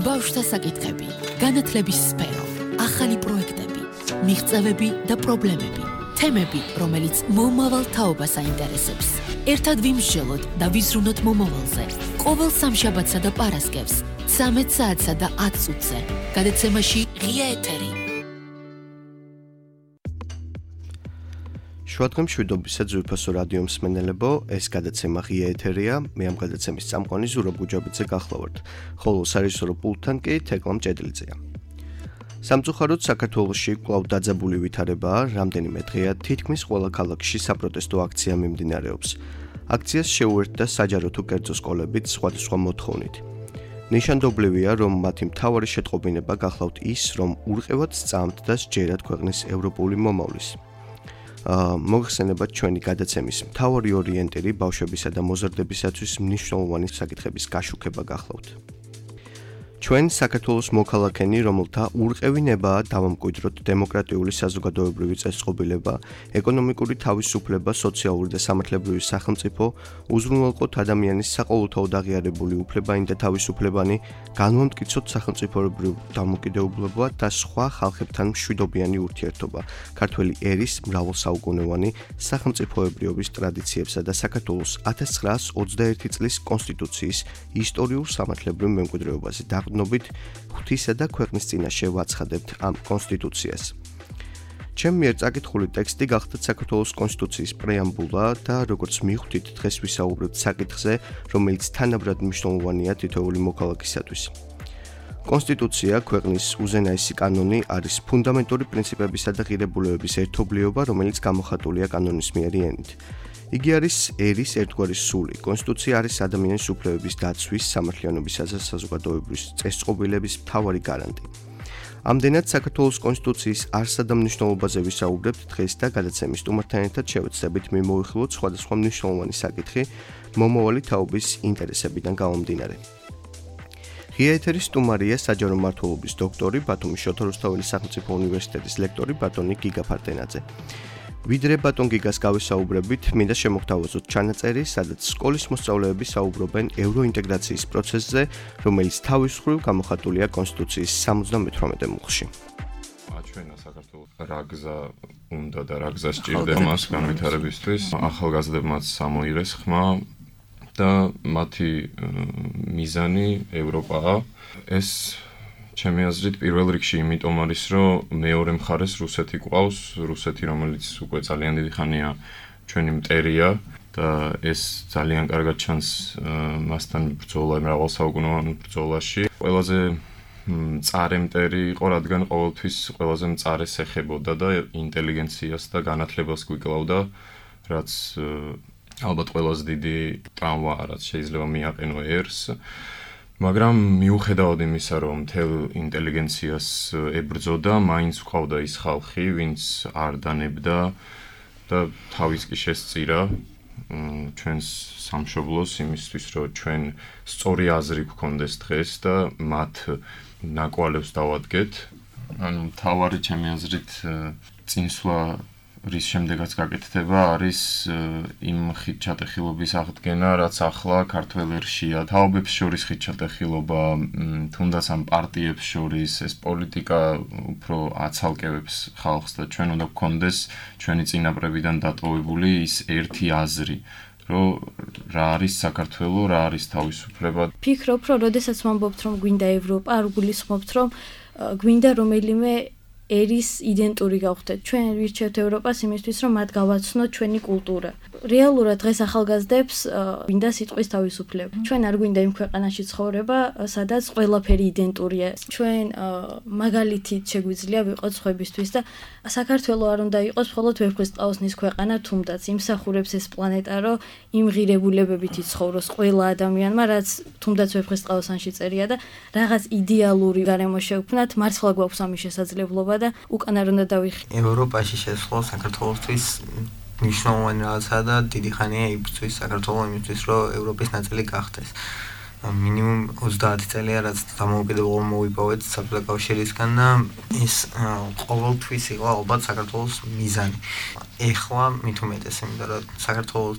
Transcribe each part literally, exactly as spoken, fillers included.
ბავშვთა საკითხები, განათლების სფერო, ახალი პროექტები, მიღწევები და პრობლემები, თემები, რომელიც მომავალ თაობას აინტერესებს. ერთად ვიმსჯელოთ და ვიზრუნოთ მომავალზე. ყოველ სამშაბათსა და პარასკევს, ცამეტ საათსა და ათ წუთზე. გადაცემაში ღია ეთერი. შუადღე მშვიდობისა ძვირფასო რადიო მსმენელებო, ეს გადაცემა ღია ეთერია, მე ამ გადაცემის წამყვანი ზურაბ გუჯაბიძე გახლავართ, ხოლო სარეჟისორო პულტთან კი თეკლამ ჭედლიძეა. სამწუხაროდ საქართველოში კვლავ დაძაბული ვითარებაა, რამდენიმე დღეა თითქმის ყველა ქალაქში საპროტესტო აქცია მიმდინარეობს. აქციას შეუერთდა საჯარო თუ კერძო სკოლებიც სხვადასხვა მოთხოვნით. ნიშანდობლივია, რომ მათი მთავარი შეტყობინება გახლავთ ის, რომ ურყევად სწამთ და სჯერათ ქვეყნის ევროპული მომავლის. მოგხსენებათ ჩვენი გადაცემის მთავარი ორიენტირი ბავშვებისა და მოზარდებისათვის მნიშვნელოვანი საკითხების გაშუქება გახლავთ. ჩვენ საქართველოს მოქალაქენი, რომელთა ურყევი ნებაა დავამკვიდროთ დემოკრატიული საზოგადოებრივი წესწყობილება, ეკონომიკური თავისუფლება, სოციალური და სამართლებრივი სახელმწიფო, უზრუნველყოფთ ადამიანის საყოველთაოდ აღიარებული უფლებანი და თავისუფლებანი, განვამტკიცოთ სახელმწიფოებრივ დამოუკიდებლობა და სხვა ხალხებთან მშვიდობიანი ურთიერთობა, ქართველი ერის მრავალსაუკუნოვანი სახელმწიფოებრიობის ტრადიციებსა და საქართველოს ათას ცხრაას ოცდაერთი წლის კონსტიტუციის ისტორიულ სამართლებრივ მემკვიდრეობაზე ვნობით ღვთისა და ქვეყნის წინაშე ვაცხადებთ ამ კონსტიტუციას. ჩემ მიერ წაკითხული ტექსტი გახლავთ საქართველოს კონსტიტუციის პრეამბულა და როგორც მივხვდით, დღეს ვისაუბრებთ საკითხზე, რომელიც თანაბრად მნიშვნელოვანია თითოეული მოქალაქისათვის. კონსტიტუცია, ქვეყნის უზენაესი კანონი, არის ფუნდამენტური პრინციპებისა და ღირებულებების ერთობლიობა, რომელიც გამოხატულია კანონის მიერი ენით. იგი არის ერის ერთგვარი სული. კონსტიტუცია არის ადამიანის უფლებების დაცვის, სამართლიანობისა და საზოგადოებრივი წესწყობილების მთავარი გარანტი. ამდენად საქართველოს კონსტიტუციის არსა და მნიშვნელობაზე ვისაუბრებთ დღეს და გადაცემის სტუმართან ერთად შევეცდებით მიმოვიხილოთ სხვადასხვა მნიშვნელოვანი საკითხი მომავალი თაობის ინტერესებიდან გამომდინარე. ღია ეთერის სტუმარია საჯარო მმართველობის დოქტორი, ბათუმის შოთა რუსთაველის სახელმწიფო უნივერსიტეტის ლექტორი ბატონი გიგა ფარდენაძე. ვიდრე ბატონ გიგას გავისაუბრებით, მინდა შემოგთავაზოთ ჩანაწერი, სადაც სკოლის მოსწავლეები საუბრობენ ევროინტეგრაციის პროცესზე, რომელიც თავის მხრივ გამოხატულია კონსტიტუციის სამოცდამეთვრამეტე მუხლში. აჩვენა საქართველოს რა გზა უნდა და რა გზა სჭირდება მას განვითარებისთვის. ახალგაზრდებმაც ამოიღეს ხმა და მათი მიზანი ევროპაა. ეს ჩემი აზრით პირველ რიგში იმიტომ არის, რომ მეორე მხარეს რუსეთი ყავს, რუსეთი, რომელიც უკვე ძალიან დიდი ხანია ჩვენი მტერია და ეს ძალიან კარგად ჩანს მასთან ბრძოლა მრავალსაუკუნოვან ბრძოლაში. ყველაზე მწარე მტერი იყო, რადგან ყოველთვის ყველაზე მწარეს ეხებოდა და ინტელიგენციას და განათლებას გვიკლავდა, რაც ალბათ ყველაზე დიდი ტრავმაა, რაც შეიძლება მიაყენო ერს. მაგრამ მიუხედავად იმისა, რომ მთელ ინტელიგენციას ებრძოდა, მაინც ყავდა ის ხალხი, ვინც არ დანებდა და თავის კი შესწირა ჩვენს სამშობლოს იმისთვის, რომ ჩვენ სწორი აზრი გვქონდეს დღეს და მათ ნაკვალევს დავადგეთ. ანუ მთავარი ჩემი აზრით წინსვლა რის შემდეგაც გაკეთდება არის იმ ხიდჩატეხილობის აღდგენა, რაც ახლა ქართველ ერშია. თაობებს შორის ხიდჩატეხილობა, თუნდაც ამ პარტიებს შორის, ეს პოლიტიკა უფრო აცალკევებს ხალხს და ჩვენ უნდა გვქონდეს ჩვენი წინაპრებიდან დატოვებული ის ერთი აზრი, რომ რა არის საქართველო, რა არის თავისუფლება. ფიქრობ, რომ როდესაც ვამბობთ, რომ გვინდა ევროპა, არ გულისხმობთ, რომ გვინდა რომელიმე ერის იდენტური გავხდეთ. ჩვენ ვირჩევთ ევროპას იმისთვის, რომ მათ გავაცნოთ ჩვენი კულტურა. რეალურად დღეს ახალგაზრდებს გვინდა სიტყვის თავისუფლება. ჩვენ არ გვინდა იმ ქვეყანაში ცხოვრება, სადაც ყველაფერი იდენტურია. ჩვენ მაგალითით შეგვიძლია ვიყოთ სხვებისთვის და საქართველო არ უნდა იყოს მხოლოდ ვეფხისტყაოსნის ქვეყანა, თუმდაც იმსახურებს ეს პლანეტა, რომ იმ ღირებულებებით იცხოვროს ყველა ადამიანმა, რაც თუმდაც ვეფხისტყაოსანში წერია და რაღაც იდეალური გარემო შევქმნათ, მართლა გვაქვს ამის შესაძლებლობა და უკან არ უნდა დავიხი. ევროპაში შესვლა საქართველოსთვის მნიშვნელოვანი რაღაცაა და დიდი ხანია იბრძვის საქართველო იმისთვის, რომ ევროპის ნაწილი გახდეს. მინიმუმ ოცდაათი წელია, რაც დამოუკიდებლობა მოვიპოვეთ საბჭოთა კავშირისგან და ეს ყოველთვის იყო ალბათ საქართველოს მიზანი. ეხლა მით უმეტეს, იმიტომ რომ საქართველოს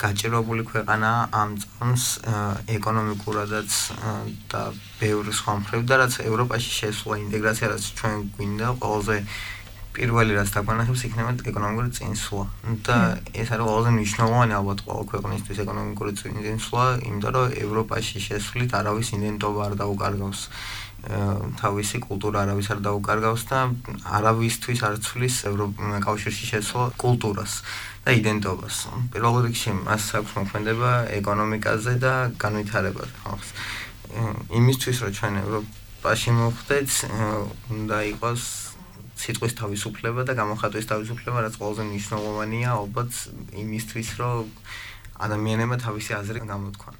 გაჭირვებული ქვეყანა ამ წამს ეკონომიკურადაც და ბევრი სხვა მხრივ და რაც ევროპაში შესვლა ინტეგრაცია რაც ჩვენ გვინდა ყველაზე პირველი რაც დაგვანახებს იქნება ეკონომიკური წინსვლა და ეს არის ყველაზე მნიშვნელოვანი ალბათ ყველა ქვეყნისთვის ეკონომიკური წინსვლა იმიტომ რომ ევროპაში შესვლით არავის იდენტობა არ დაუკარგავს თავისი კულტურა არავის არ დაუკარგავს და არავისთვის არ ცვლის ევროკავშირში შესვლა კულტურას და იდენტობას. პირველ რიგში მას აქვს მოქმედება ეკონომიკაზე და განვითარებაზე ხალხს. იმისთვის რომ ჩვენ ევროპაში მოხვდეთ, უნდა იყოს სიტყვის თავისუფლება და გამოხატვის თავისუფლება, რაც ყველაზე მნიშვნელოვანია ალბათ იმისთვის, რომ ადამიანებმა თავისი აზრი გამოთქვან.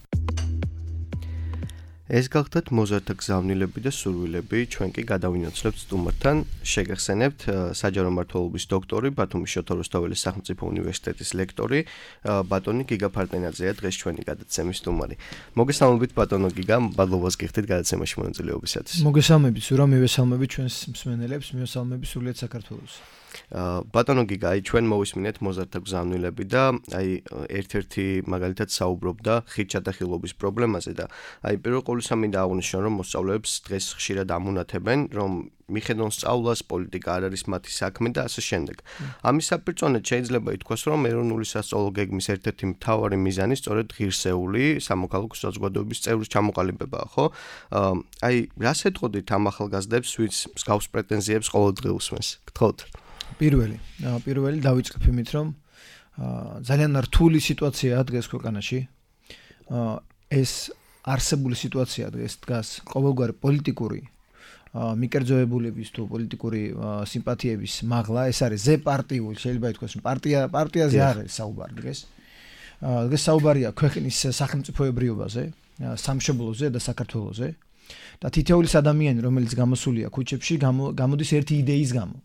ეს გახდათ მოზარდთა გზავნილები და სურვილები, ჩვენ კი გადავინაცვლებთ სტუმართან, შეგახსენებთ საჯარო მმართველობის დოქტორი, ბათუმის შოთა რუსთაველის სახელმწიფო უნივერსიტეტის ლექტორი, ბატონი გიგა ფარტენაძეა დღეს ჩვენი გადაცემის სტუმარი. მოგესალმებით ბატონო გიგა, მადლობას გიხდით გადაცემაში მონაწილეობისათვის. მოგესალმებით, სურა მივესალმებით ჩვენს მსმენელებს, მივესალმებით სრულიად საქართველოს. ბატონო გიგა, აი ჩვენ მოვისმინეთ მოზარდთა გზავნილები და აი ერთ-ერთი მაგალითად საუბრობდა ხით ჩატახილობის პრობლემაზე და აი პირველ ყოვლისა მინდა აღვნიშნო რომ მოსწავლეებს დღეს ხშირად ამონათებენ რომ მიხედონ სწავლას პოლიტიკა არ არის მათი საქმე და ასე შემდეგ. ამის საპირწონედ შეიძლება ითქვას რომ ეროვნული სასწავლო გეგმის ერთ-ერთი მთავარი მიზანი სწორედ ღირსეული სამოქალაქო საზოგადოების წევრის ჩამოყალიბებაა, ხო? აი რას ეტყოდით ამ ახალგაზრდებს, ვინც მსგავს პრეტენზიებს ყოველდღე უსმენს? გთხოვთ. პირველი, პირველი დავიწყებ იმით, რომ ძალიან რთული სიტუაციაა დღეს ქვეყანაში. ეს არსებული სიტუაცია დღეს დგას ყოველგვარი პოლიტიკური მიკერძოებულების თუ პოლიტიკური სიმპათიების მაღლა, ეს არის ზე პარტიული, შეიძლება ითქვას, რომ პარტია პარტიაზე არ არის საუბარი დღეს. დღეს საუბარია ქვეყნის სახელმწიფოებრიობაზე, სამშობლოზე და საქართველოზე და თითოეულის ადამიანი, რომელიც გამოსულია ქუჩებში, გამოდის ერთი იდეის გამო.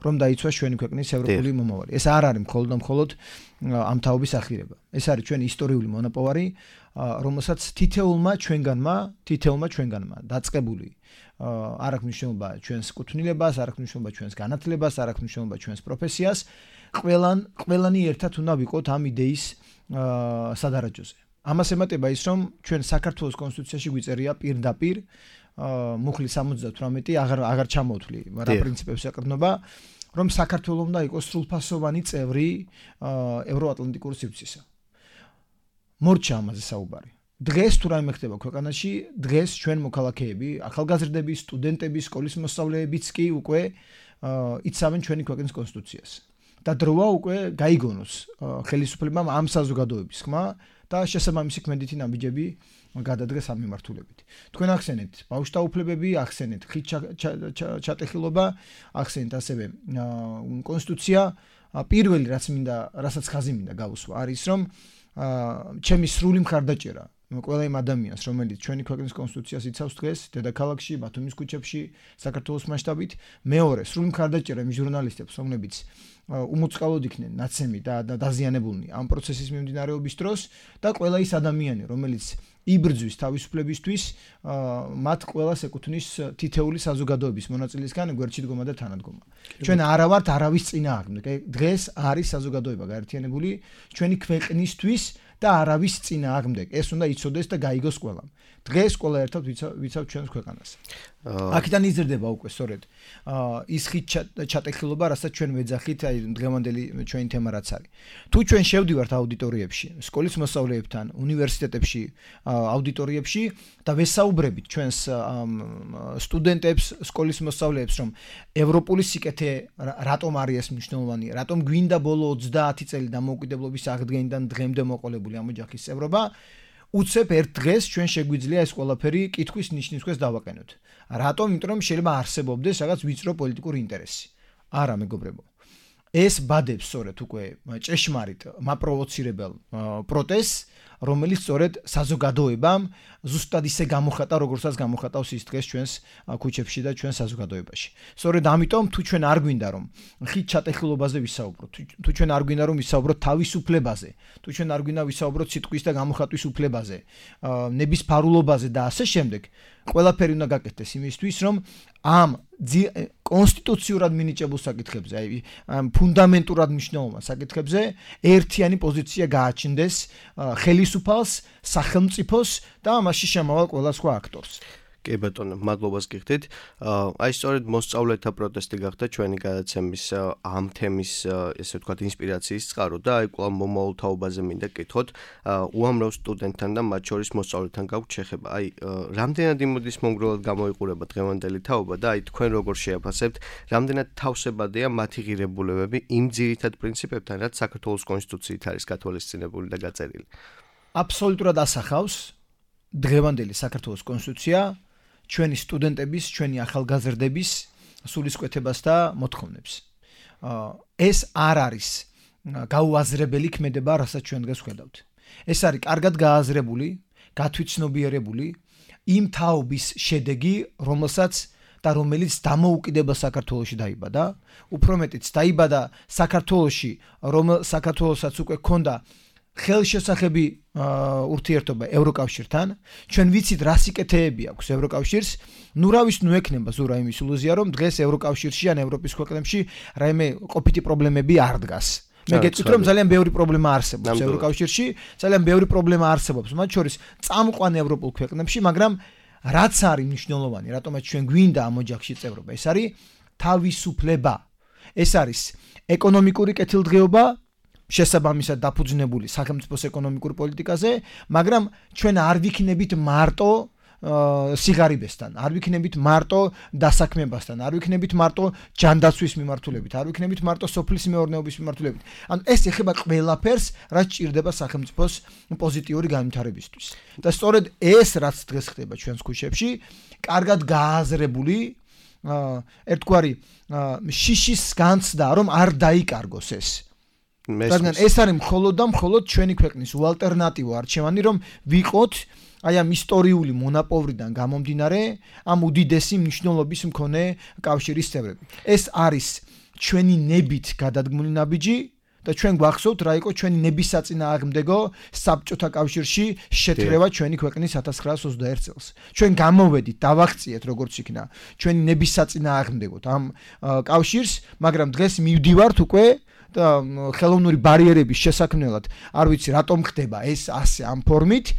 რომ დაიცვას ჩვენი ქვეყნის ევროპული მომავალი. ეს არ არის მხოლოდ და მხოლოდ ამ თაობის ახირება. ეს არის ჩვენი ისტორიული მონოპოვარი, რომელსაც თითეულმა ჩვენგანმა, თითეულმა ჩვენგანმა დაწყებული არ აქვს მნიშვნელობა ჩვენს კუთვნილებას, არ აქვს მნიშვნელობა ჩვენს განათლებას, არ აქვს მნიშვნელობა ჩვენს პროფესიას, ყველან ყველანი ერთად უნდა ვიყოთ ამ იდეის სადარაჯოზე. ამას ემატება ის, რომ ჩვენ საქართველოს კონსტიტუციაში გვიწერია პირდაპირ მუხლი სამოცდათვრამეტი აღარ აღარ ჩამოვთვლი რა პრინციპებს ეყრდნობა რომ საქართველოს უნდა იყოს სრულფასოვანი წევრი ევროატლანტიკური სივრცისა. მორჩა ამაზე საუბარი. დღეს თუ რაიმე ხდება ქვეყანაში, დღეს ჩვენ მოქალაქეები, ახალგაზრდები, სტუდენტები, სკოლის მოსწავლეებიც კი უკვე იცავენ ჩვენი ქვეყნის კონსტიტუციას. და დროა უკვე გაიგონოს ხელისუფლებამ ამ საზოგადოების ხმა და შესაბამისი ქმედითი ნაბიჯები გადადგეს ამ მიმართულებით. თქვენ ახსენეთ ბავშვთა უფლებები, ახსენეთ ხით ჩატეხილობა, ახსენეთ ასევე კონსტიტუცია. პირველი რაც მინდა, რასაც ხაზი მინდა გავუსვა, არის რომ ჩემი სრული მხარდაჭერა ყველა იმ ადამიანს, რომელიც ჩვენი ქვეყნის კონსტიტუციას იცავს დღეს, დედაქალაქში, ბათუმის ქუჩებში, საქართველოს მასშტაბით, მეორე სრული მხარდაჭერა იმ ჟურნალისტებს, რომლებიც უმოწყალოდ იქნენ ნაცემი და დაზიანებულნი ამ პროცესის მიმდინარეობის დროს და ყველა ის ადამიანი, რომელიც იბრძვის თავისუფლებისთვის, მათ ყველას ეკუთვნის თითეული საზოგადოების მონაწილისგან გვერდში დგომა და თანადგომა. ჩვენ არა ვართ არავის წინააღმდეგ. დღეს არის საზოგადოება გაერთიანებული ჩვენი ქვეყნისთვის და არავის წინააღმდეგ. ეს უნდა იცოდეს და გაიგოს ყველამ. დღეს ყველა ერთად ვიცავთ ჩვენს ქვეყანას. აქედან იზრდება უკვე სწორედ ის ხით ჩატეხილობა, რასაც ჩვენ ვეძახით, აი დღევანდელი ჩვენი თემა რაც არის. თუ ჩვენ შევდივართ აუდიტორიებში, სკოლის მოსწავლეებთან, უნივერსიტეტებში, აუდიტორიებში და ვესაუბრებით ჩვენს სტუდენტებს, სკოლის მოსწავლეებს, რომ ევროპული სიკეთე რატომ არის მნიშვნელოვანი, რატომ გვინდა ბოლო ოცდაათი წელი დამოუკიდებლობის აღდგენიდან დღემდე მოყოლებული ამ ოჯახის წევრობა, უცებ ერთ დღეს ჩვენ შეგვიძლია ეს ყველაფერი კითხვის ნიშნისქვეშ დავაყენოთ. რატომ? იმიტომ რომ შეიძლება არსებობდეს რაღაც ვიწრო პოლიტიკური ინტერესი. არა, მეგობრებო. ეს ბადებს სწორედ უკვე ჭეშმარიტ მაპროვოცირებელ პროტესტს, რომელიც სწორედ საზოგადოებამ ზუსტად ისე გამოხატა, როგორცაც გამოხატავს ის დღეს ჩვენს ქუჩებში და ჩვენს საზოგადოებაში. სწორედ ამიტომ თუ ჩვენ არ გვინდა რომ ხით ჩატეხილობაზე ვისაუბროთ, თუ ჩვენ არ გვინდა რომ ვისაუბროთ თავისუფლებაზე, თუ ჩვენ არ გვინდა ვისაუბროთ სიტყვის და გამოხატვის უფლებაზე, ნებისფარულობაზე და ასე შემდეგ, ყველაფერი უნდა გაკეთდეს იმისთვის, რომ ამ კონსტიტუციურად მინიჭებულ საკითხებზე, აი ფუნდამენტურად მნიშვნელოვან საკითხებზე ერთიანი პოზიცია გააჩნდეს ხელისუფალს, სახელმწიფოს და მასში შემავალ ყველა სხვა აქტორს. კი ბატონო, მადლობას გიხდით. აი სწორედ მოსწავლეთა პროტესტი გახდა ჩვენი გადაცემის ამ თემის, ესე ვთქვათ, ინსპირაციის წყარო და აი კვლავ მომავალ თაობაზე მინდა გკითხოთ. უამრავ სტუდენტთან და მათ შორის მოსწავლეთან გაქვთ შეხება. აი რამდენად იმოდის მომგრულად გამოიყურება დღევანდელი თაობა და აი თქვენ როგორ შეაფასებთ, რამდენად თავსებადია მათი ღირებულებები იმ ძირითად პრინციპებთან, რაც საქართველოს კონსტიტუციით არის გათვალისწინებული და გაწერილი. აბსოლუტურად ასახავს დღევანდელი საქართველოს კონსტიტუცია ჩვენი სტუდენტების, ჩვენი ახალგაზრდების სულისკვეთებას და მოთხოვნებს. ეს არ არის გაუაზრებელი ქმედება, რასაც ჩვენ დღეს ვხედავთ. ეს არის კარგად გააზრებული, გათვითცნობიერებული იმ თაობის შედეგი, რომელსაც და რომელიც დამოუკიდებელ საქართველოში დაიბადა, უფრო მეტიც დაიბადა საქართველოში, რომ საქართველოსაც უკვე ჰქონდა ხელშესახები ურთიერთობა ევროკავშირთან, ჩვენ ვიცით რა სიკეთეები აქვს ევროკავშირს, ნუ რავის ნუ ექნება ზურა იმის ილუზია, რომ დღეს ევროკავშირში ან ევროპის ქვეყნებში რაიმე ყოფითი პრობლემები არ დგას. მე გეტყვით, რომ ძალიან ბევრი პრობლემა არსებობს ევროკავშირში, ძალიან ბევრი პრობლემა არსებობს, მათ შორის წამყვან ევროპულ ქვეყნებში, მაგრამ რაც არის მნიშვნელოვანი, რატომაც ჩვენ გვინდა ამ ოჯახში წევრობა, ეს არის თავისუფლება. ეს არის ეკონომიკური კეთილდღეობა, შესაბამისად დაფუძნებული სახელმწიფოს ეკონომიკურ პოლიტიკაზე, მაგრამ ჩვენ არ ვიქნებით მარტო სიღარიბესთან, არ ვიქნებით მარტო დასაქმებასთან, არ ვიქნებით მარტო ჯანდაცვის მიმართულებით, არ ვიქნებით მარტო სოფლის მეურნეობის მიმართულებით. ანუ ეს ეხება ყველაფერს, რაც ჭირდება სახელმწიფოს პოზიტიური განვითარებისთვის. და სწორედ ეს, რაც დღეს ხდება ჩვენს ქუჩებში, კარგად გააზრებული ერთგვარი შიშის განცდა, რომ არ დაიკარგოს ეს. რადგან ეს არის მხოლოდ და მხოლოდ ჩვენი ქვეყნის უალტერნატივო არჩევანი, რომ ვიყოთ აი ამ ისტორიული მონაპოვრიდან გამომდინარე ამ უდიდესი მნიშვნელობის მქონე კავშირის წევრები. ეს არის ჩვენი ნებით გადადგმული ნაბიჯი და ჩვენ გვახსოვთ რა იყო ჩვენი ნებისაწინააღმდეგო საბჭოთა კავშირში შეთრევა ჩვენი ქვეყნის ათას ცხრაასი ოცდაერთი წელს. ჩვენ გამოვედით, დავაღწიეთ როგორც იქნა ჩვენი ნებისაწინააღმდეგოთ ამ კავშირს, მაგრამ დღეს მივდივართ უკვე და ხელოვნური ბარიერების შესაქმნელად არ ვიცი რატომ ხდება ეს ასე ამ ფორმით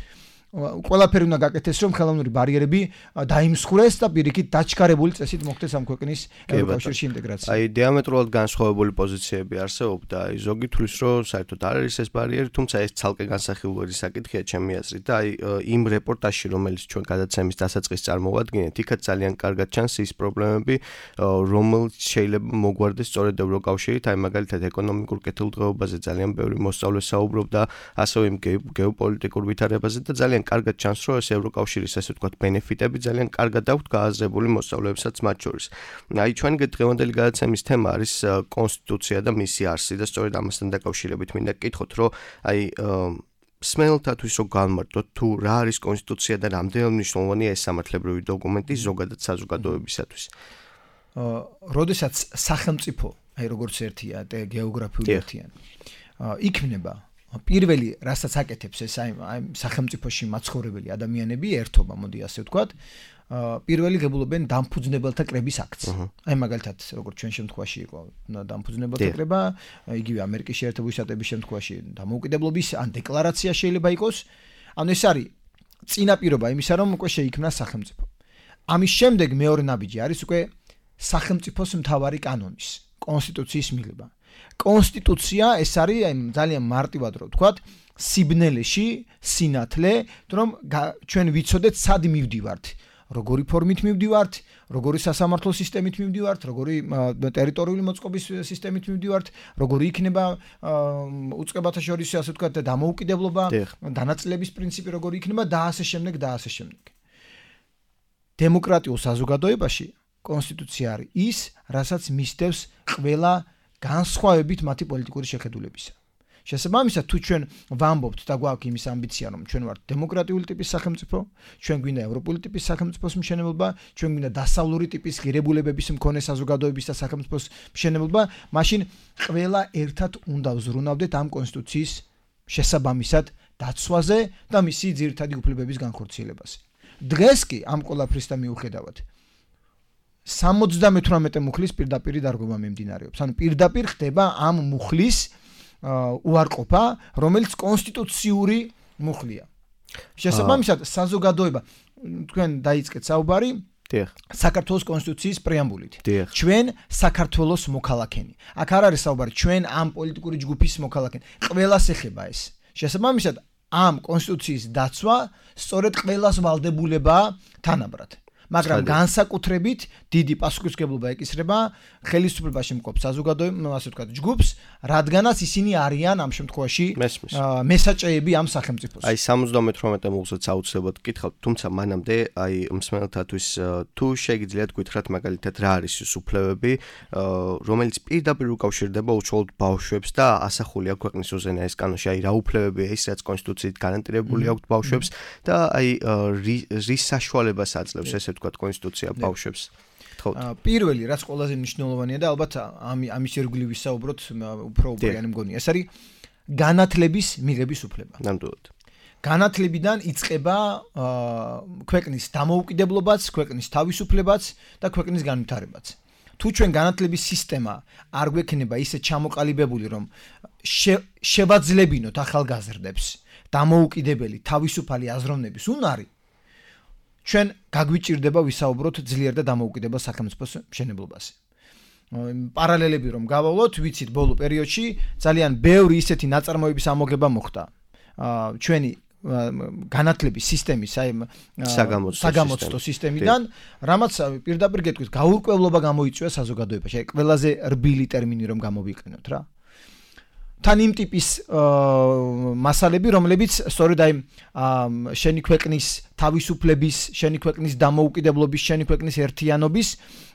ყველაფერი უნდა გაკეთდეს რომ ხელოვნური ბარიერები დაიმსხვრეს და პირიქით დაჩქარებული წესით მოხდეს ამ ქვეყნის ევროკავშირში ინტეგრაცია. აი დიამეტრულად განსხვავებული პოზიციები არსებობდა, აი ზოგი თვლის რომ საერთოდ არ არის ეს ბარიერი, თუმცა ეს ცალკე განსახილველი საკითხია ჩემი აზრით და აი იმ რეპორტაჟში რომელიც ჩვენ გადაცემის დასაწყისს წარმოვადგენთ, იქაც ძალიან კარგად ჩანს ის პრობლემები, რომელიც შეიძლება მოგვარდეს სწორედ ევროკავშირით, აი მაგალითად ეკონომიკურ კეთილდღეობაზე ძალიან ბევრი მოსწავლე საუბრობდა, ასევე იმ გეოპოლიტიკურ ვითარებაზე და ძალიან კარგად ჩანს, რომ ეს ევროკავშირის ასე ვთქვათ ბენეფიტები ძალიან კარგად აქვთ გააზრებული მოსწავლეებსაც მათ შორის. აი ჩვენი დღევანდელი გადაცემის თემა არის კონსტიტუცია და მისი არსი და სწორედ ამასთან დაკავშირებით მინდა გკითხოთ, რომ აი სმენელთათვის რო განმარტოთ თუ რა არის კონსტიტუცია და რამდენად მნიშვნელოვანია ეს სამართლებრივი დოკუმენტი ზოგადად საზოგადოებისათვის. როდესაც სახელმწიფო, აი როგორც ერთია და გეოგრაფიული ერთიანი, იქმნება პირველი რასაც აკეთებს ეს აი სახელმწიფოში მაცხოვრებელი ადამიანები ერთობა, მოდი ასე ვთქვათ, პირველი ღებულობენ დამფუძნებელთა კრების აქტს. აი მაგალითად, როგორც ჩვენ შემთხვევაში იყო დამფუძნებელთა კრება, იგივე ამერიკის შეერთებული შტატების შემთხვევაში დამოუკიდებლობის ან დეკლარაცია შეიძლება იყოს. ანუ ეს არის წინაპირობა იმისა, რომ უკვე შეიქმნა სახელმწიფო. ამის შემდეგ მეორე ნაბიჯი არის უკვე სახელმწიფოს მთავარი კანონის, კონსტიტუციის მიღება. კონსტიტუცია ეს არის აი ძალიან მარტივად რო ვთქვათ, სიბნელეში სინათლე, რომ ჩვენ ვიცოდეთ სად მივდივართ, როგორი ფორმით მივდივართ, როგორი სასამართლო სისტემით მივდივართ, როგორი ტერიტორიული მოწყობის სისტემით მივდივართ, როგორი იქნება უწყებათა შორის ასე ვთქვათ დამოუკიდებლობა, დანაწილების პრინციპი როგორი იქნება და ასე შემდეგ და ასე შემდეგ. დემოკრატიულ საზოგადოებაში კონსტიტუცია არის ის, რასაც მისდევს ყველა განსხვავებით მათი პოლიტიკური შეხედულებისა. შესაბამისად თუ ჩვენ ვამბობთ და გვაქვს იმის ამბიცია რომ ჩვენ ვართ დემოკრატიული ტიპის სახელმწიფო, ჩვენ გვინდა ევროპული ტიპის სახელმწიფოს მშენებლობა, ჩვენ გვინდა დასავლური ტიპის ღირებულებების მქონე საზოგადოების და სახელმწიფოს მშენებლობა, მაშინ ყველა ერთად უნდა ვზრუნავდეთ ამ კონსტიტუციის შესაბამისად დაცვაზე და მისი ძირითადი უფლებების განხორციელებაზე. დღეს კი ამ ყველაფრისთან მიუხედავად სამოცდამეთვრამეტე მუხლის პირდაპირ დარღვევა მიმდინარეობს. ანუ პირდაპირ ხდება ამ მუხლის უარყოფა, რომელიც კონსტიტუციური მუხლია. შესაბამისად, საზოგადოება თქვენ დაიწყეთ საუბარი საქართველოს კონსტიტუციის პრეამბულით. ჩვენ საქართველოს მოქალაქენი. აქ არ არის საუბარი ჩვენ ამ პოლიტიკური ჯგუფის მოქალაქენი. ყველას ეხება ეს. შესაბამისად, ამ კონსტიტუციის დაცვა სწორედ ყველას ვალდებულებაა თანაბრად. მაგრამ განსაკუთრებით დიდი პასუხისმგებლობა ეკისრება ხელისუფლებაში მყოფ საზოგადოებამ, ასე ვთქვათ, ჯგუფს, რადგანაც ისინი არიან ამ შემთხვევაში მესაჭრეები ამ სახელმწიფოს. აი სამოცდამეთვრამეტე მუხლსაც აუცილებლად გითხავთ, თუმცა მანამდე აი მსმენელთათვის თუ შეგიძლიათ გითხრათ მაგალითად რა არის ის უფლებები, რომელიც პირდაპირ უკავშირდება უშუალოდ ბავშვებს და ასახულია ქვეყნის უზენაეს კანონში, აი რა უფლებებია ის, რაც კონსტიტუციით გარანტირებული აქვს ბავშვებს და აი რის საშუალებას აძლევს ესე ვთქვათ კონსტიტუცია ბავშვებს. პირველი რაც ყველაზე მნიშვნელოვანია და ალბათ ამის ირგვლივ ვისაუბროთ უფრო უპირიანი მგონია. ეს არის განათლების მიღების უფლება. ნამდვილად. განათლებიდან იწყება ქვეყნის დამოუკიდებლობაც, ქვეყნის თავისუფლებაც და ქვეყნის განვითარებაც. თუ ჩვენ განათლების სისტემა არ გვექნება ისე ჩამოყალიბებული, რომ შევაძლებინოთ ახალგაზრდებს დამოუკიდებელი თავისუფალი აზროვნების უნარი, ჩვენ გაგვიჭირდება ვისაუბროთ ძლიერ და დამოუკიდებელ სახელმწიფოს მშენებლობაზე. პარალელები რომ გავავლოთ, ვიცით ბოლო პერიოდში ძალიან ბევრი ისეთი ნაწარმოების ამოგება მოხდა. ჩვენი განათლების სისტემის, აი საგამოცდო სისტემიდან, რამაც პირდაპირ გეტყვით, გაურკვევლობა გამოიწვია საზოგადოებაში. აი ყველაზე რბილი ტერმინი რომ გამოვიყენოთ რა. თან იმ ტიპის მასალები, რომლებიც სწორედ აი შენი ქვეყნის თავისუფლების, შენი ქვეყნის დამოუკიდებლობის, შენი ქვეყნის ერთიანობის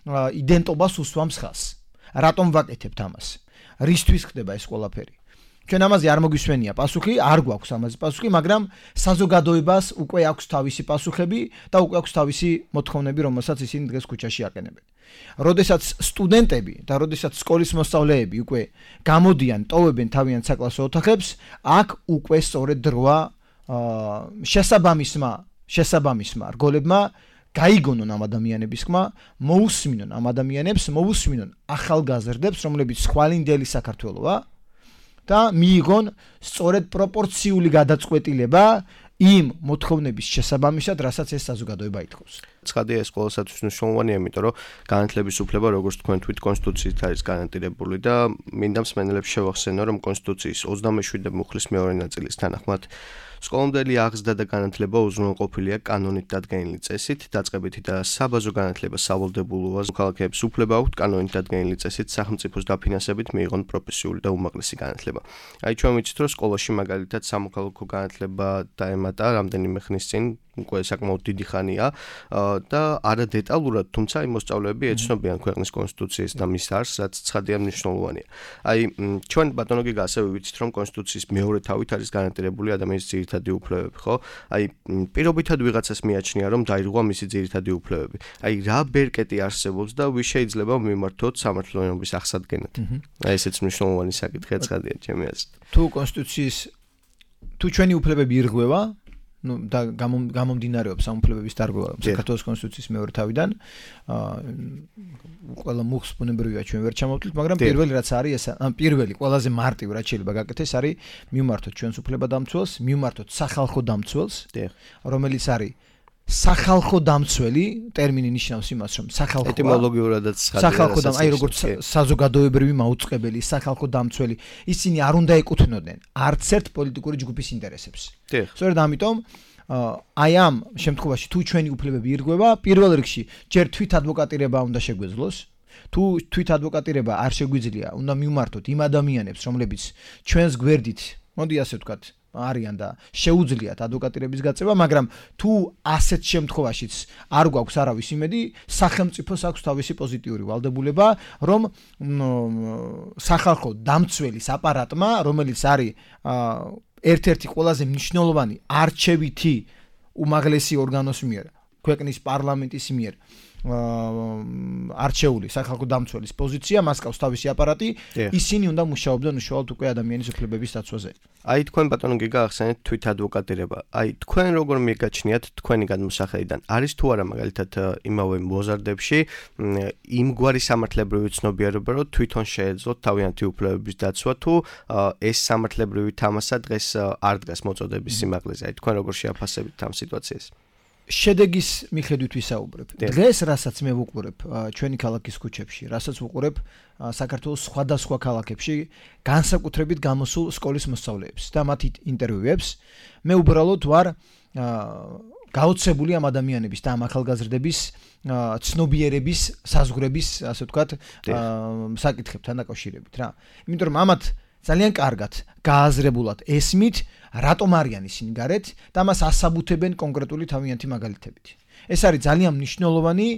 იდენტობას უსვამს ხაზს. რატომ ვაკეთებთ ამას? რისთვის ხდება ეს ყველაფერი? ჩვენ ამაზე არ მოგვისვენია პასუხი, არ გვაქვს ამაზე პასუხი, მაგრამ საზოგადოებას უკვე აქვს თავისი პასუხები და უკვე აქვს თავისი მოთხოვნები, რომელსაც ისინი დღეს ქუჩაში აყენებენ. როდესაც სტუდენტები და როდესაც სკოლის მოსწავლეები უკვე გამოდიან, ტოვებენ თავიანთ საკლასო ოთახებს, აქ უკვე სწორედ დროა შესაბამისმა, შესაბამისმა რგოლებმა გაიგონონ ამ ადამიანების ხმა, მოусმინონ ამ ადამიანებს, მოусმინონ ახალგაზრდებს, რომლებიც ხვალინდელი საქართველოა და მიიღონ სწორედ პროპორციული გადაწყვეტილება იმ მოთხოვნების შესაბამისად, რასაც ეს საზოგადოება ითხოვს. ცხადია ეს ყოველსათვის მნიშვნელოვანია, იმიტომ რომ განათლების უფლება, როგორც თქვენ თვით კონსტიტუციით არის გარანტირებული და მინდა მსმენელებს შევახსენო, რომ კონსტიტუციის ოცდამეშვიდე მუხლის მეორე ნაწილის თანახმად სკოლამდელი აღზრდა და განათლება უზრუნველყოფილია კანონით დადგენილი წესით, დაწყებითი და საბაზო განათლება სავალდებულოა. მოქალაქეებს უფლება აქვთ კანონით დადგენილი წესით სახელმწიფოს დაფინანსებით მიიღონ პროფესიული და უმაღლესი განათლება. აი ჩვენ ვიცით, რომ სკოლაში მაგალითად სამოქალაქო განათლება დაემატა რამდენიმე ხნის წინ, უკვე საკმაოდ დიდი ხანია და არა დეტალურად, თუმცა იმ მოსწავლეები ეცნობიან ქვეყნის კონსტიტუციას და მის არსს, რაც ცხადია მნიშვნელოვანია. აი ჩვენ ბატონო გიგა ასევე ვიცით, რომ კონსტიტუციის მეორე თავით არის გარანტირებული ადამიანის ძირითადი უფლებები, ხო? აი პირობითად ვიღაცას მიაჩნია, რომ დაირღვა მისი ძირითადი უფლებები. აი რა ბერკეტი არსებობს და ვის შეიძლება მიმართოთ სამართლიანობის აღსადგენად. აი ესეც მნიშვნელოვანი საკითხია, ცხადია ჩემი აზრით. თუ კონსტიტუციის თუ ჩვენი უფლებები ირღვევა, ну და გამომდინარეობს ამ უფლებების დარღვევა საქართველოს კონსტიტუციის მეორე თავიდან, ყველა მუხს ბუნებრივია ჩვენ ვერ ჩამოვთვლით, მაგრამ პირველი რაც არის ეს, ან პირველი ყველაზე მარტივი რაც შეიძლება გაკეთდეს არის მივმართოთ ჩვენს უფლებადამცველს, მივმართოთ სახალხო დამცველს, რომელიც არის სახალხო დამცველი, ტერმინი ნიშნავს იმას, რომ სახალხო ეტიმოლოგიურადაც სახალხო და აი როგორც საზოგადოებრივი მაუწყებელი, სახალხო დამცველი, ისინი არ უნდა ეკუთვნოდნენ არც ერთ პოლიტიკური ჯგუფის ინტერესებს. სწორედ ამიტომ აი ამ შემთხვევაში თუ ჩვენი უფლებები ირღვევა, პირველ რიგში ჯერ თვით ადვოკატირება უნდა შეგვეძლოს. თუ თვით ადვოკატირება არ შეგვიძლია, უნდა მივმართოთ იმ ადამიანებს, რომლებიც ჩვენს გვერდით, მოდი ასე ვთქვათ, არიან და შეუძლიათ ადვოკატირების გაწევა, მაგრამ თუ ასეთ შემთხვევაშიც არ გვაქვს არავის იმედი, სახელმწიფოს აქვს თავისი პოზიტიური ვალდებულება, რომ სახალხო დამცველის აპარატმა, რომელიც არის ერთ-ერთი ყველაზე მნიშვნელოვანი არჩევითი უმაღლესი ორგანოს მიერ, ქვეყნის პარლამენტის მიერ არჩეული სახალხო დამცველის პოზიცია, მას ყავს თავისი აპარატი, ისინი უნდა მუშაობდნენ უშუალოდ უკვე ადამიანის უფლებების დაცვაზე. აი თქვენ ბატონო გიგა ახსენეთ თვით ადვოკატირება. აი თქვენ როგორ მიგაჩნიათ თქვენი გადმოსახედიდან არის თუ არა მაგალითად იმავე მოზარდებში იმგვარი სამართლებრივი ცნობიერება, რომ თვითონ შეეძლოთ თავიანთი უფლებების დაცვა თუ ეს სამართლებრივი თამასა დღეს არ დგას მოწოდების სიმაღლეზე. აი თქვენ როგორ შეაფასებით ამ სიტუაციას? შედეგის მიხედვით ვისაუბრებ. დღეს რასაც მე ვუყურებ ჩვენი ქალაქის ქუჩებში, რასაც ვუყურებ საქართველოს სხვადასხვა ქალაქებში, განსაკუთრებით გამოსულ სკოლის მოსწავლეებს და მათ ინტერვიუებს, მე უბრალოდ ვარ გაოცებული ამ ადამიანების და ამ ახალგაზრდების ცნობიერების, საზღვრების, ასე ვთქვათ, საკითხებთან დაკავშირებით რა. იმიტომ რომ ამათ ძალიან კარგად გააზრებულად ესმით, რატომ არიან ისინი გარეთ და მას ასაბუთებენ კონკრეტული თავიანთი მაგალითებით. ეს არის ძალიან მნიშვნელოვანი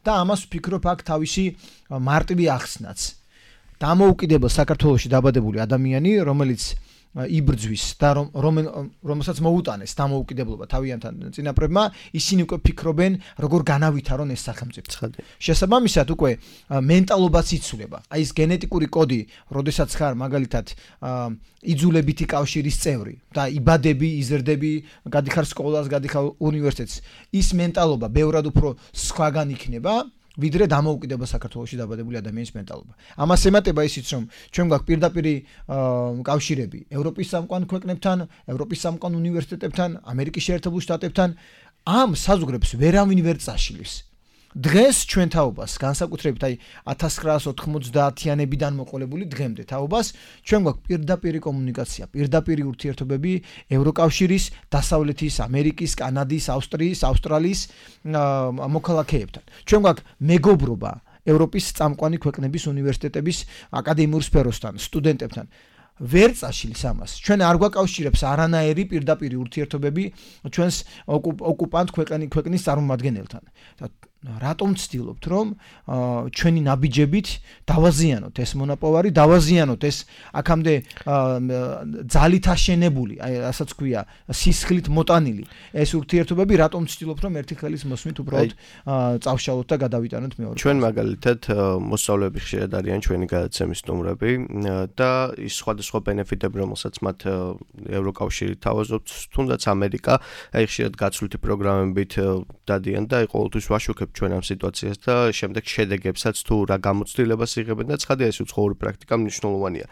და ამას ვფიქრობ აქ თავისი მარტივი ახსნაც. დამოუკიდებელ საქართველოში დაბადებული ადამიანი, რომელიც იბრძვის და რომელსაც მოუტანეს დამოუკიდებლობა თავიანთან წინაპრებმა, ისინი უკვე ფიქრობენ, როგორ განავითარონ ეს სახელმწიფო. შესაბამისად, უკვე მენტალობაც იცვლება. აი ეს გენეტიკური კოდი, როდესაც ხარ მაგალითად იძულებითი კავშირის წევრი და იბადები, იზრდები, გადიხარ სკოლას, გადიხარ უნივერსიტეტს, ის მენტალობა ბევრად უფრო სხვაგან იქნება. ვიდრე დამოუკიდებელ საქართველოში დაბადებული ადამიანის მენტალობა. ამას ემატება ისიც, რომ ჩვენ გვაქვს პირდაპირი კავშირები ევროპის სამყარო ქვეყნებთან, ევროპის სამყარო უნივერსიტეტებთან, ამერიკის შეერთებულ შტატებთან, ამ საზღვრებს ვერავინ ვერ წაშლის. დღეს ჩვენ თაობას, განსაკუთრებით აი ათას ცხრაასი ოთხმოცდაათიანებიდან მოყოლებული დღემდე თაობას, ჩვენ გვაქვს პირდაპირი კომუნიკაცია, პირდაპირი ურთიერთობები ევროკავშირის, დასავლეთის ამერიკის, კანადის, ავსტრიის, ავსტრალიის მოქალაქეებთან. ჩვენ გვაქვს მეგობრობა ევროპის წამყვანი ქვეყნების უნივერსიტეტების აკადემიურ სფეროსთან, სტუდენტებთან. ვერ წაშლის ამას. ჩვენ არ გვაკავშირებს არანაირი პირდაპირი ურთიერთობები ჩვენს ოკუპანტ ქვეყნის წარმომადგენელთან. რატომ ვცდილობთ, რომ ჩვენი ნაბიჯებით დავაზიანოთ ეს მონაპოვარი, დავაზიანოთ ეს აქამდე ძალით აშენებული, აი რასაც ქვია, სისხლით მოტანილი ეს ურთიერთობები, რატომ ვცდილობთ, რომ ერთი ხელის მოსმით უბრალოდ წავშალოთ და გადავიტანოთ მეორე. ჩვენ მაგალითად მოსწავლეები ხშირად არიან ჩვენი გადაცემის სტუმრები და ის სხვადასხვა ბენეფიტები, რომელსაც მათ ევროკავშირი თავაზობს, თუნდაც ამერიკა, აი ხშირად გაცვლითი პროგრამებით დადიან და ყოველთვის ვაშუქებ ჩვენ ამ სიტუაციას და შემდეგ შედეგებსაც თუ რა გამოცდილებას იღებენ და ცხადია ეს უცხოური პრაქტიკა მნიშვნელოვანია.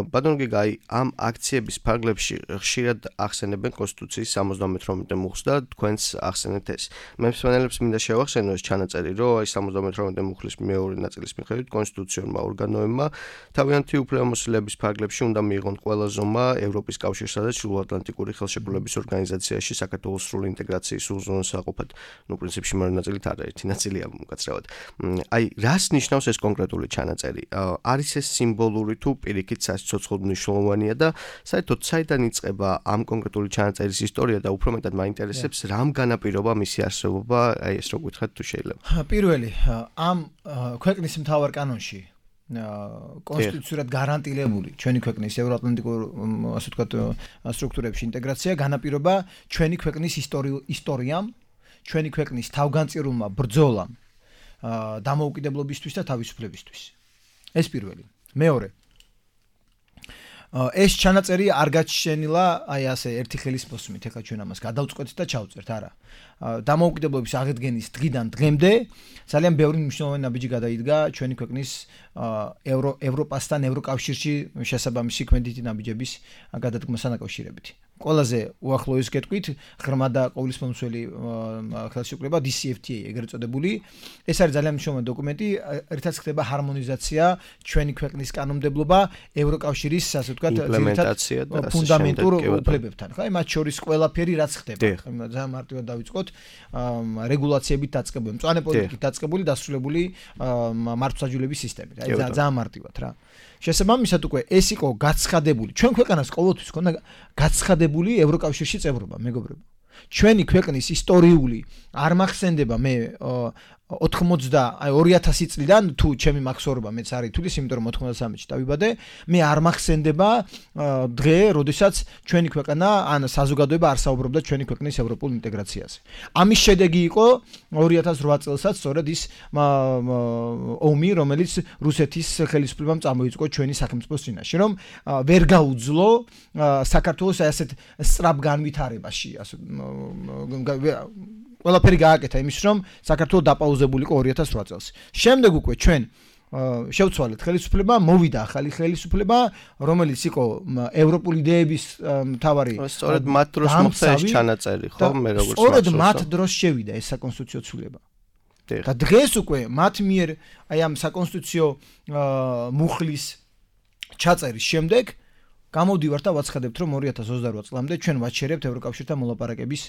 ბატონო გიგა, აი ამ აქციების ფარგლებში ხშირად ახსენებენ კონსტიტუციის სამოცდამეთრომეტე მუხლს და თქვენს ახსენეთ ეს. მე მსმენელებს მინდა შევახსენო ეს ჩანაწერი, რომ აი სამოცდამეთრომეტე მუხლის მეორე ნაწილის მიხედვით კონსტიტუციურმა ორგანოებმა თავიანთი უფლებამოსილების ფარგლებში უნდა მიიღონ ყველა ზომა ევროპის კავშირსა და ჩრდილოატლანტიკური ხელშეკრულების ორგანიზაციაში საქართველოს სრული ინტეგრაციის უზრუნველყოფად საყოფად, ნუ პრინციპში მეორე ნაწილით არა ერთი ნაწილია მკაცრავად. აი, რას ნიშნავს ეს კონკრეტული ჩანაწერი? არის ეს სიმბოლური თუ პირიქით საცოცხლოდ მნიშვნელოვანია და საერთოდ საიდან იწყება ამ კონკრეტული ჩანაწერის ისტორია და უფრო მეტად მაინტერესებს რამ განაპირობა მისი არსებობა, აი ეს რო გითხრათ თუ შეიძლება. პირველი, ამ ქვეყნის მთავარ კანონში კონსტიტუციურად გარანტირებული ჩვენი ქვეყნის ევროატლანტიკურ ასე ვთქვათ სტრუქტურებში ინტეგრაცია განაპირობა ჩვენი ქვეყნის ისტორიამ, ჩვენი ქვეყნის თავგანწირულმა ბრძოლამ დამოუკიდებლობისთვის და თავისუფლებისთვის. ეს პირველი. მეორე. ეს ჩანაწერი არ გაჩენილა აი ასე ერთი ხელის მოსმით, ეხლა ჩვენ ამას გადავწყვეტთ და ჩავწერთ, არა. დამოუკიდებლობის აღდგენის დღიდან დღემდე ძალიან ბევრი მნიშვნელოვანი ნაბიჯი გადაიდგა ჩვენი ქვეყნის ევრო ევროპასთან ევროკავშირში შესაბამისი ქმედითი ნაბიჯების გადადგმასთან დაკავშირებით. ყველაზე უახლოეს გეტყვით ღრმა და ყოვლისმომცველი ხელშეკრულება დი სი ეფ თი ეი ეგრეთ წოდებული. ეს არის ძალიან მნიშვნელოვანი დოკუმენტი, ერთად ხდება ჰარმონიზაცია ჩვენი ქვეყნის კანონმდებლობა ევროკავშირის ასე ვთქვათ იმპლემენტაცია და ფუნდამენტურ უფლებებთან. ხა მათ შორის ყველაფერი რაც ხდება. ძალიან მარტივად დავიწყოთ, რეგულაციებით დაწყებული, მწვანე პოლიტიკით დაწყებული, დასრულებული მართლმსაჯულების სისტემით. აი ძალიან მარტივად რა. შესაბამისად უკვე ეს იყო გაცხადებული. ჩვენ ქვეყანას ყოველთვის ქონდა გაცხადებული დამზადებული ევროკავშირში წევრობა, მეგობრებო. ჩვენი ქვეყნის ისტორიული არ მახსენდება მე ოთხმოცდა აი ორი ათასი წლიდან თუ ჩემი მახსოვრობა მეც არის თulis, იმიტომ რომ ოთხმოცდასამი წელი დავიბადე, მე არ მახსენდება დღე, როდესაც ჩვენი ქვეყანა ან საზოგადოება არ საუბრობდა ჩვენი ქვეყნის ევროპულ ინტეგრაციაზე. ამის შედეგი იყო ორი ათას რვა წელსაც სწორედ ის ომი, რომელიც რუსეთის ხელისუფლებამ წამოიწყო ჩვენი სახელმწიფოს წინაშე, რომ ვერ გაუძლო საქართველოს ასეთ სწრაფ განვითარებაში, ასე ყველაფერი გააკეთა იმის რომ საქართველოს დაპაუზებული იყო ორი ათას რვა წელს. შემდეგ უკვე ჩვენ შევცვალეთ ხელისუფლება, მოვიდა ახალი ხელისუფლება, რომელიც იყო ევროპული იდეების მთავარი. სწორედ მათ დროს მოხდა ეს ჩანაწერი, ხო, მე როგორც მახსოვს. სწორედ მათ დროს შევიდა ეს საკონსტიტუციო ცვლილება. და დღეს უკვე მათ მიერ აი ამ საკონსტიტუციო მუხლის ჩაწერის შემდეგ გამოვდივართ და ვაცხადებთ, რომ ორი ათას ოცდარვა წლამდე ჩვენ ვაჩერებთ ევროკავშირთან მოლაპარაკების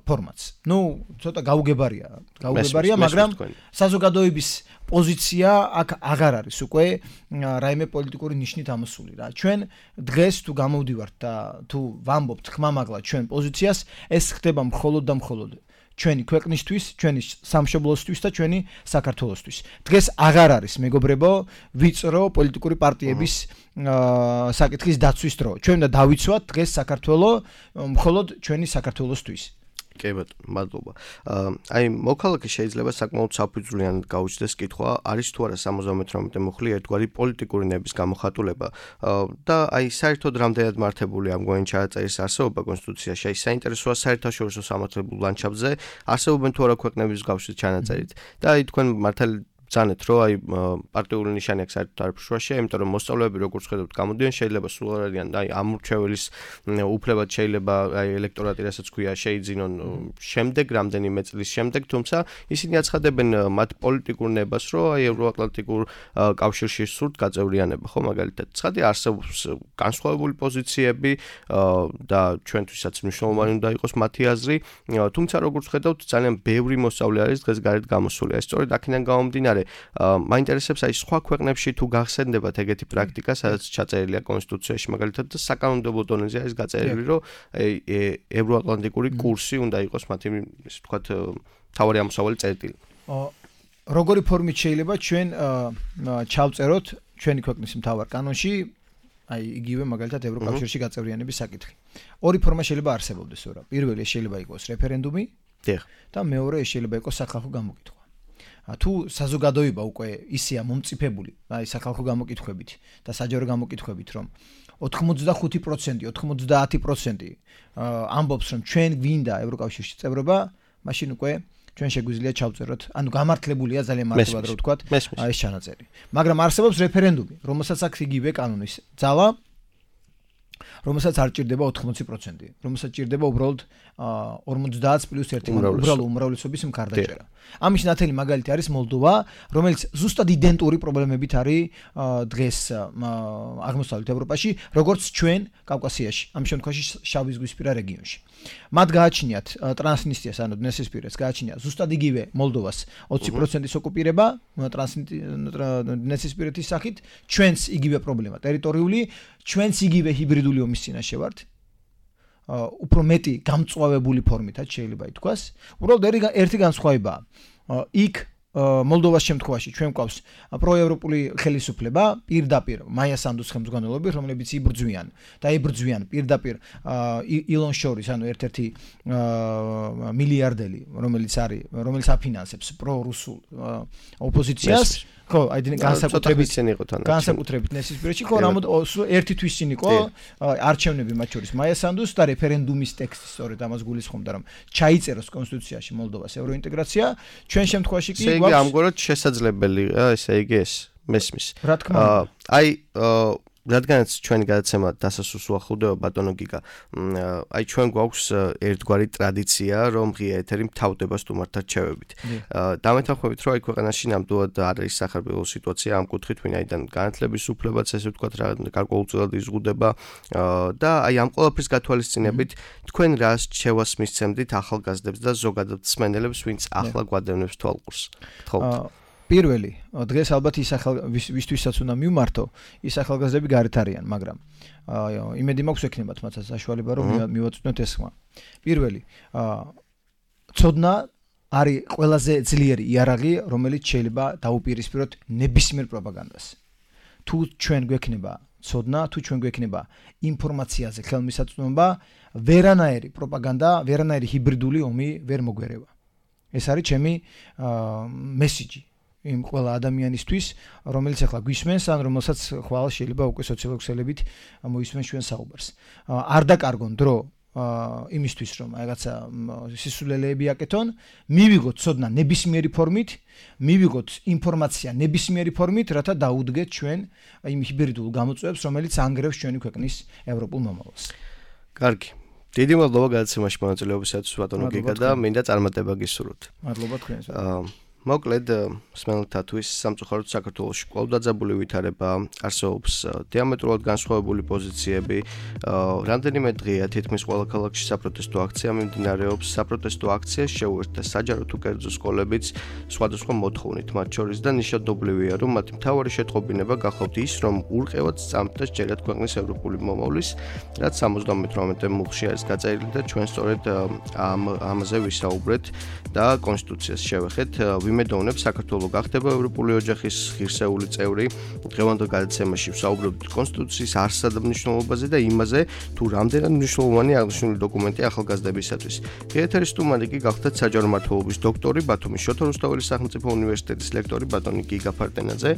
ფორმატს. ნუ ცოტა გაუგებარია, გაუგებარია, მაგრამ საზოგადოების პოზიცია აქ აღარ არის უკვე რაიმე პოლიტიკური ნიშნით ამოსული რა. ჩვენ დღეს თუ გამოვდივართ და თუ ვამბობთ ხმამაღლა ჩვენ პოზიციას, ეს ხდება მხოლოდ და მხოლოდ ჩვენი ქვეყნისთვის, ჩვენი სამშობლოსთვის და ჩვენი საქართველოსთვის. დღეს აღარ არის მეგობრებო ვიწრო პოლიტიკური პარტიების საკითხის დაცვის დრო. ჩვენ უნდა დავიცვათ დღეს საქართველოს მხოლოდ ჩვენი საქართველოსთვის. კი ბატონო, მადლობა. აი მოქალაქე შეიძლება საკმაოდ საფუძვლიანად გაუჩნდეს კითხვა, არის თუ არა სამოცდამეტრამდე მუხლი ერთგვარი პოლიტიკური ნების გამოხატულება და აი საერთოდ რამდენად მართებული ამგვარი ჩაწერის არსებობა კონსტიტუციაში, აი საინტერესოა საერთაშორისო სამართლებრივ ლანდშაფტზე არსებობენ თუ არა ქვეყნების მსგავსი ჩანაწერით და აი თქვენ მართალი ზანეთ რომ აი პარტიული ნიშანი აქვს საერთოდ არ ფშვაშია, იმიტომ რომ მოსწავლეები როგორც ხედავთ გამოდიან შეიძლება სულ არ არიან და აი ამ მრჩეველის უფლებად შეიძლება აი ელექტორატი რასაც ქვია შეიძინონ შემდეგ რამდენიმე წლის შემდეგ, თუმცა ისინი აცხადებენ მათ პოლიტიკურ ნებას რომ აი ევროატლანტიკურ კავშირში სურთ გაწევრიანება, ხო მაგალითად ცხადი არსებობს განსხვავებული პოზიციები და ჩვენთვისაც მნიშვნელოვანი უნდა იყოს მათი აზრი, თუმცა როგორც ხედავთ ძალიან ბევრი მოსწავლე არის დღეს გარეთ გამოსული. ეს სწორედ აქედან გამომდინარე მაინტერესებს აი სხვა ქვეყნებში თუ გახსენდებათ ეგეთი პრაქტიკა, სადაც ჩაწერილია კონსტიტუციაში მაგალითად და საკანონმდებლო დონეზე არის გაწერილი, რომ ევროატლანტიკური კურსი უნდა იყოს მათი, ისე ვთქვათ, თავარი ამოსავალი წერტილი. როგორი ფორმით შეიძლება ჩვენ ჩავწეროთ ჩვენი ქვეყნის მთავარ კანონში აი იგივე მაგალითად ევროკავშირში გაწევრიანების საკითხი. ორი ფორმა შეიძლება არსებობდეს, რა. პირველი შეიძლება იყოს რეფერენდუმი და მეორე შეიძლება იყოს სახალხო გამოკითხვა. თუ საზოგადოება უკვე ისეა მომწიფებული, აი სახალხო გამოკითხვებით და საჯარო გამოკითხვებით, რომ ოთხმოცდახუთი პროცენტი, ოთხმოცდაათი პროცენტი ამბობს, რომ ჩვენ გვინდა ევროკავშირში წევრობა, მაშინ უკვე ჩვენ შეგვიძლია ჩავწეროთ, ანუ გამართლებულია ძალიან მარტივად რო ვთქვათ, ეს ჩანაწერი. მაგრამ არსებობს რეფერენდუმი, რომელსაც აქვს იგივე კანონის ძალა, რომელსაც არ ჭირდება ოთხმოცი პროცენტი, რომელსაც ჭირდება უბრალოდ ორმოცდაათ პლუს ერთი, უბრალოდ უმრავლესობის მხარდაჭერა. ამის ნათელი მაგალითი არის მოლდოვა, რომელიც ზუსტად იდენტური პრობლემებით არის დღეს აღმოსავლეთ ევროპაში, როგორც ჩვენ კავკასიაში, ამ შემთხვევაში შავიზღვისპირა რეგიონში. მათ გააჩნიათ ტრანსნისტრიას, ანუ დნესისპირეთს გააჩნია ზუსტად იგივე მოლდოვას ოცი პროცენტის ოკუპირება დნესისპირეთის სახით, ჩვენს იგივე პრობლემა ტერიტორიული, ჩვენს იგივე ჰიბრიდული ომის წინაშე ვართ. უფრო მეტი გამწვავებული ფორმითაც შეიძლება ითქვას. უბრალოდ ერთი განსხვავებაა. იქ მოლდოვას შემთხვევაში ჩვენ გვყავს პროევროპული ხელისუფლება პირდაპირ მაია სანდუს ხელმძღვანელობით, რომლებიც იბრძვიან და იბრძვიან პირდაპირ ილონ შორის, ანუ ერთ-ერთი მილიარდელი, რომელიც არის, რომელიც აფინანსებს პრორუსულ ოპოზიციას. ხო, აი განსაკუთრებით განსაკუთრებით ნესისპირეთში, ხო, რამოდ ერთი თვის წინ იყო არჩევნები მათ შორის მაია სანდუს და რეფერენდუმის ტექსტი სწორედ ამას გულისხმობდა, რომ ჩაიწეროს კონსტიტუციაში მოლდოვას ევროინტეგრაცია. ჩვენ შემთხვევაში კი გვაქვს ესე იგი ამგვარად შესაძლებელია, ესე იგი ეს მესმის. რა თქმა უნდა. აი რადგანაც ჩვენი გადაცემა დასასრულს უახლოვდება ბატონო გიგა, აი ჩვენ გვაქვს ერთგვარი ტრადიცია, რომ ღია ეთერი მთავრდება სტუმართა რჩევებით. დამეთანხმებით, რომ აი ქვეყანაში ნამდვილად არ არის სახარბელო სიტუაცია ამ კუთხით, ვინაიდან განათლების უფლებაც ესე ვთქვათ, რა გარკვეულწილად იზღუდება და აი ამ ყველაფრის გათვალისწინებით თქვენ რა რჩევას მისცემდით ახალგაზრდებს და ზოგადად მსმენელებს, ვინც ახლა გვადევნებს თვალყურს. გთხოვთ. პირველი, დღეს ალბათ ის ახალ ვისთვისაც უნდა მივმართო, ის ახალგაზრდები გარეთ არიან, მაგრამ იმედი მაქვს ექნებათ მათაც საშუალება რომ მივაწვდნოთ ეს ხმა. პირველი, ცოდნა არის ყველაზე ძლიერი იარაღი, რომელიც შეიძლება დაუპირისპიროთ ნებისმიერ პროპაგანდას. თუ ჩვენ გვექნება ცოდნა, თუ ჩვენ გვექნება ინფორმაციაზე ხელმისაწვდომობა, ვერანაირი პროპაგანდა, ვერანაირი ჰიბრიდული ომი ვერ მოგვერევა. ეს არის ჩემი მესიჯი იმ ყველა ადამიანისთვის, რომელიც ახლა გვისმენს, ან რომელსაც ხვალ შეიძლება უკვე სოციოლოგიელებით მოისმენს ჩვენ საუბარს. არ დაკარგონ დრო იმისთვის რომ რაღაცა სისულელეები აკეთონ, მივიღოთ ცოდნა ნებისმიერი ფორმით, მივიღოთ ინფორმაცია ნებისმიერი ფორმით, რათა დაუდგეთ ჩვენ იმ ჰიბრიდულ გამოწვევებს, რომელიც ანგრევს ჩვენი ქვეყნის ევროპულ მომავალს. კარგი. დიდი მადლობა გადაცემაში მონაწილეობისათვის ბატონო გიგა და მინდა წარმატება გისურვოთ. მადლობა თქვენს. მოკლედ სმენელთათვის სამწუხაროდ საქართველოში კვლავ დაძაბული ვითარება, არსებობს დიამეტრულად განსხვავებული პოზიციები, რამდენიმე დღეა თითქმის ყველა ქალაქში საპროტესტო აქცია მიმდინარეობს, საპროტესტო აქციას შეუერთდა საჯარო თუ კერძო სკოლებიც სხვადასხვა მოთხოვნით, მათ შორის და ნიშნავდობლივია, რომ მათი მთავარი შეტყობინება გახლავთ ის, რომ ურყევად სწამთ და სჯერათ ქვეყნის ევროპული მომავლის, რაც სამოცდამეთვრამეტე მუხლში არის გაწერილი და ჩვენ სწორედ ამ ამაზე ვისაუბრეთ და კონსტიტუციას შევეხეთ. ვიმედოვნებ საქართველოს გახდება ევროპული ოჯახის ღირსეული წევრი. დღევანდელ გადაცემაში ვსაუბრობთ კონსტიტუციის არსსა და მნიშვნელობაზე და იმაზე, თუ რამდენად მნიშვნელოვანი აღნიშნული დოკუმენტი ახალგაზრდებისათვის. ეთერის სტუმარი კი გახდათ საჯარო მმართველობის დოქტორი, ბათუმის შოთა რუსთაველის სახელმწიფო უნივერსიტეტის ლექტორი ბატონი გიგა ფარტენაძე.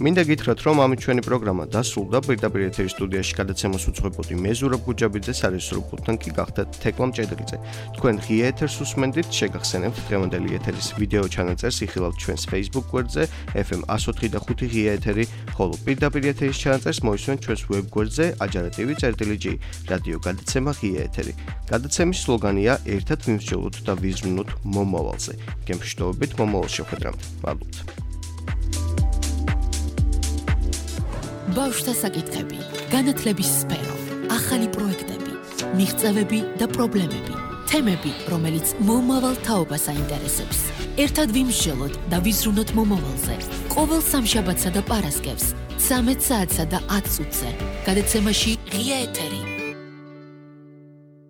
მინდა გითხრათ, რომ ამით ჩვენი პროგრამა დასრულდა. პირდაპირ ეთერის სტუდიაში გადაცემას უძღვებოდი მე ზურაბ გუჯაბიძე, სარესურო პულტთან კი გახდათ თეკლამ ჭედრიძე. თქვენ ღია ეთერს უსმენდით, შეგახსენებთ დღევანდელი ეთერის ვიდეო ჩანაწერს იხილავთ ჩვენს Facebook გვერდზე ეფ ემ one oh three და five ღია ეთერი, ხოლო პირდაპირ ეთერის ჩანაწერს მოისმენთ ჩვენს ვებ გვერდზე ajarativi.gi რადიო გადაცემა ღია ეთერი. გადაცემის სლოგანია ერთად ვიმსჯელოთ და ვიზრუნოთ მომავალზე. გემშვიდობებით მომავალ შეხვედრამდე. მადლობთ. ბავშვთა საკითხები, განათლების სფერო, ახალი პროექტები, მიღწევები და პრობლემები, თემები, რომელიც მომავალ თაობას აინტერესებს. ერთად ვიმსჯელოთ და ვიზრუნოთ მომავალზე. ყოველ სამშაბათსა და პარასკევს, ცამეტ საათსა და ათ წუთზე. გადაცემაში ღია ეთერი.